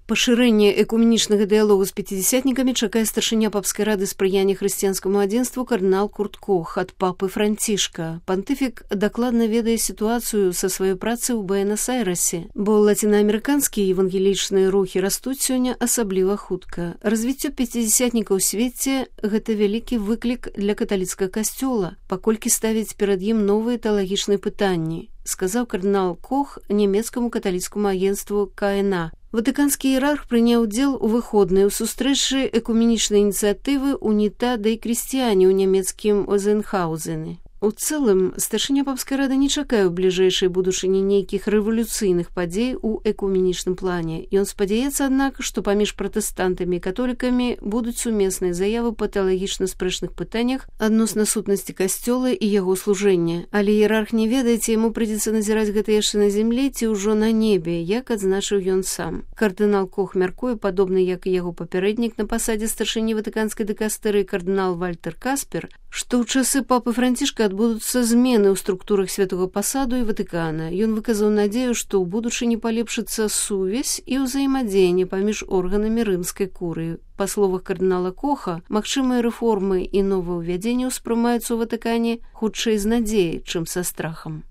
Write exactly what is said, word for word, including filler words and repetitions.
Пашырэнне экуменічнага дыялогу з пяцідзясятнікамі чакае старшыня папскай рады спрыяння хрысціянскаму адзінству кардынал Курт Кох ад папы Францішка. Пантыфік дакладна ведае сітуацыю са сваёй працы ў Буэнас-Айрэсе, бо лацінаамерыканскія евангелічныя рухі растуць сёння асабліва хутка. Развіццё пяцідзясятніка ў свеце – гэта вялікі выклік для каталіцкага касцёла, паколькі ставіць перад ім новыя тэалагічныя пытанні, сказаў кардынал Кох нямецкаму каталіцкаму агенцтву ка эн а. Ватыканскі іерарх прыняў удзел у выходнай у сустрэчы экуменічнай ініцыятывы «Унітада і крысціяне» ў нямецкім Озенхаузене. У цэлым, старшыня папскай рады не чакае ў бліжэйшай будучыні нейкіх рэвалюцыйных падзей у экуменічным плане. Ён спадзяецца, аднак, што паміж пратэстантамі і католікамі будуць сумесныя заявы па тэалагічна спрэчных пытаннях адносна сутнасці касцёла і яго служэння. Але іерарх не ведае, ці яму прыйдзецца назіраць гэта яшчэ на зямлі, ці ўжо на небе, як адзначыў ён сам. Кардынал Кох мяркуе, падобны як і яго папярэднік на пасадзе старшыні ватыканскай дыкастэрыі кардынал Вальтер Каспер, што ў часы папы Францішка адбудуцца змены ў структурах святога пасаду і Ватыкана. Ён выказаў надзею, што ў будучыні палепшыцца сувязь і ўзаемадзеянне паміж органамі рымскай курыі. Па словах кардынала Коха, магчымыя рэформы і новаўвядзенні ўспрымаюцца ў Ватыкане хутчэй з надзеяй, чым са страхам.